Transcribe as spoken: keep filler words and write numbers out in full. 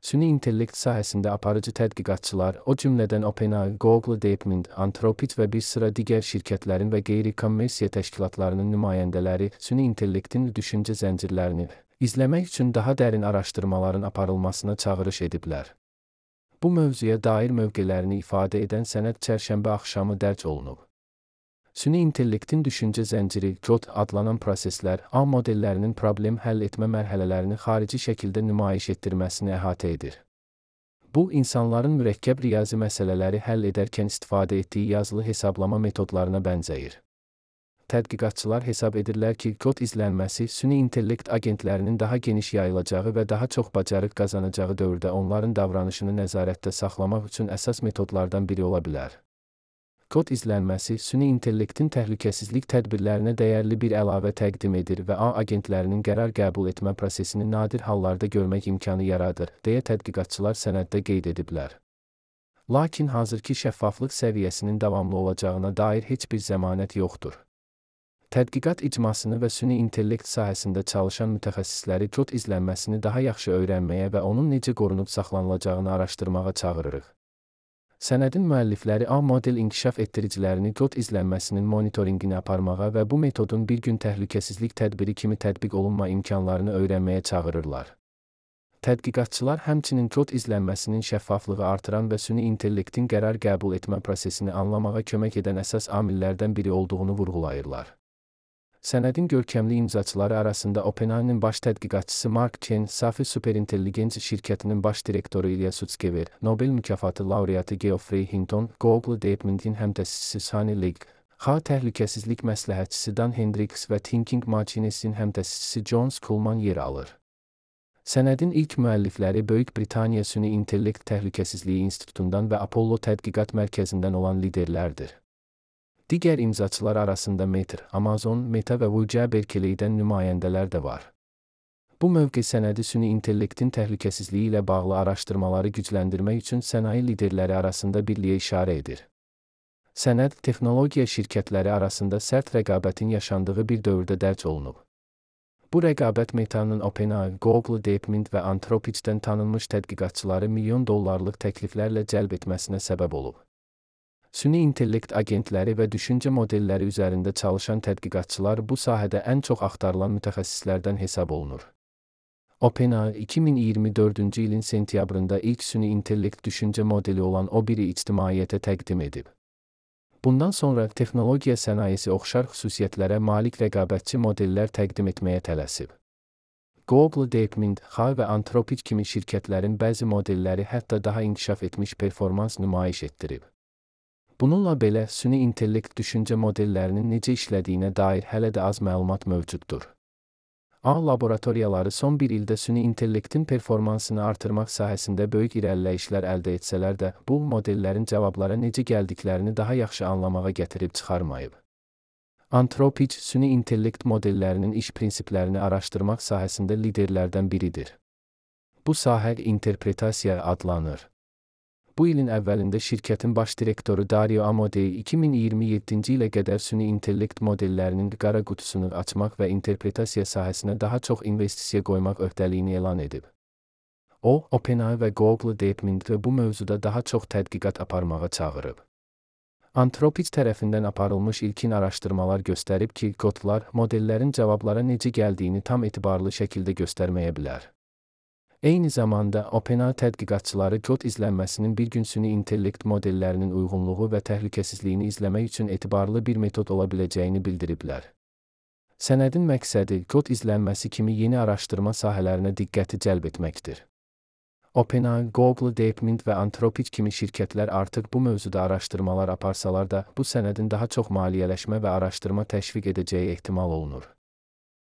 Süni intellekt sahəsində aparıcı tədqiqatçılar, o cümlədən OpenAI, Google, DeepMind, Anthropic və bir sıra digər şirkətlərin və qeyri-kommersiya təşkilatlarının nümayəndələri süni intellektin düşüncə zəncirlərini izləmək üçün daha dərin araşdırmaların aparılmasına çağırış ediblər. Bu mövzuya dair mövqelərini ifadə edən sənəd çərşənbə axşamı dərc olunub. Süni intellektin düşüncə zənciri, C O D adlanan proseslər, A modellərinin problem həll etmə mərhələlərini xarici şəkildə nümayiş etdirməsini əhatə edir. Bu, insanların mürəkkəb riyazi məsələləri həll edərkən istifadə etdiyi yazılı hesablama metodlarına bənzəyir. Tədqiqatçılar hesab edirlər ki, C O D izlənməsi süni intellekt agentlərinin daha geniş yayılacağı və daha çox bacarıq qazanacağı dövrdə onların davranışını nəzarətdə saxlamaq üçün əsas metodlardan biri ola bilər. C O D izlənməsi süni intellektin təhlükəsizlik tədbirlərinə dəyərli bir əlavə təqdim edir və A agentlərinin qərar qəbul etmə prosesini nadir hallarda görmək imkanı yaradır, deyə tədqiqatçılar sənəddə qeyd ediblər. Lakin hazırki şəffaflıq səviyyəsinin davamlı olacağına dair heç bir zəmanət yoxdur. Tədqiqat icmasını və süni intellekt sahəsində çalışan mütəxəssisləri C O D izlənməsini daha yaxşı öyrənməyə və onun necə qorunub saxlanılacağını araşdırmağa çağırırıq. Sənədin müəllifləri A model inkişaf etdiricilərini C O D izlənməsinin monitorinqini aparmağa və bu metodun bir gün təhlükəsizlik tədbiri kimi tətbiq olunma imkanlarını öyrənməyə çağırırlar. Tədqiqatçılar həmçinin C O D izlənməsinin şəffaflığı artıran və süni intellektin qərar qəbul etmə prosesini anlamağa kömək edən əsas amillərdən biri olduğunu vurğulayırlar. Sənədin görkəmli imzaçıları arasında OpenAI-nin baş tədqiqatçısı Mark Chen, Safi Superintelligenc şirkətinin baş direktoru Ilya Sutskever, Nobel mükafatı laureatı Geoffrey Hinton, Google DeepMind'in həmtəsisçisi Sunny Lin, X A təhlükəsizlik məsləhətçisi Dan Hendricks və Thinking Machines'in həmtəsisçisi John Kuhlmann yer alır. Sənədin ilk müəllifləri Böyük Britaniya Süni İntellekt Təhlükəsizliyi İnstitutundan və Apollo Tədqiqat Mərkəzindən olan liderlərdir. Digər imzaçılar arasında Meta, Amazon, Meta və Google Berkeley'dən nümayəndələr də var. Bu mövqe sənədi süni intellektin təhlükəsizliyi ilə bağlı araşdırmaları gücləndirmək üçün sənaye liderləri arasında birliyə işarə edir. Sənəd, texnologiya şirkətləri arasında sərt rəqabətin yaşandığı bir dövrdə dərc olunub. Bu rəqabət Meta'nın OpenAI, Google, DeepMind və Anthropic'dən tanınmış tədqiqatçıları milyon dollarlıq təkliflərlə cəlb etməsinə səbəb olub. Süni intellekt agentləri və düşüncə modelləri üzərində çalışan tədqiqatçılar bu sahədə ən çox axtarılan mütəxəssislərdən hesab olunur. OpenAI iki min iyirmi dördüncü ilin sentyabrında ilk süni intellekt düşüncə modeli olan O biri ictimaiyyətə təqdim edib. Bundan sonra texnologiya sənayesi oxşar xüsusiyyətlərə malik rəqabətçi modellər təqdim etməyə tələsib. Google, DeepMind, X A və Anthropic kimi şirkətlərin bəzi modelləri hətta daha inkişaf etmiş performans nümayiş etdirib. Bununla belə, süni intellekt düşüncə modellərinin necə işlədiyinə dair hələ də az məlumat mövcuddur. A laboratoriyaları son bir ildə süni intellektin performansını artırmaq sahəsində böyük irəliləyişlər əldə etsələr də, bu modellərin cavablara necə gəldiklərini daha yaxşı anlamağa gətirib çıxarmayıb. Anthropic, süni intellekt modellərinin iş prinsiplərini araşdırmaq sahəsində liderlərdən biridir. Bu sahə interpretasiya adlanır. Bu ilin əvvəlində şirkətin baş direktoru Dario Amodei iki min iyirmi yeddinci ilə qədər süni intellekt modellərinin qara qutusunu açmaq və interpretasiya sahəsinə daha çox investisiya qoymaq öhdəliyini elan edib. O, OpenAI və Google DeepMind'i bu mövzuda daha çox tədqiqat aparmağa çağırıb. Anthropic tərəfindən aparılmış ilkin araşdırmalar göstərib ki, kodlar modellərin cavablara necə gəldiyini tam etibarlı şəkildə göstərməyə bilər. Eyni zamanda, OpenAI tədqiqatçıları C O D izlənməsinin bir gün süni intellekt modellərinin uyğunluğu və təhlükəsizliyini izləmək üçün etibarlı bir metod ola biləcəyini bildiriblər. Sənədin məqsədi C O D izlənməsi kimi yeni araşdırma sahələrinə diqqəti cəlb etməkdir. OpenAI, Google, DeepMind və Anthropic kimi şirkətlər artıq bu mövzuda araşdırmalar aparsalar da, bu sənədin daha çox maliyyələşmə və araşdırma təşviq edəcəyi ehtimal olunur.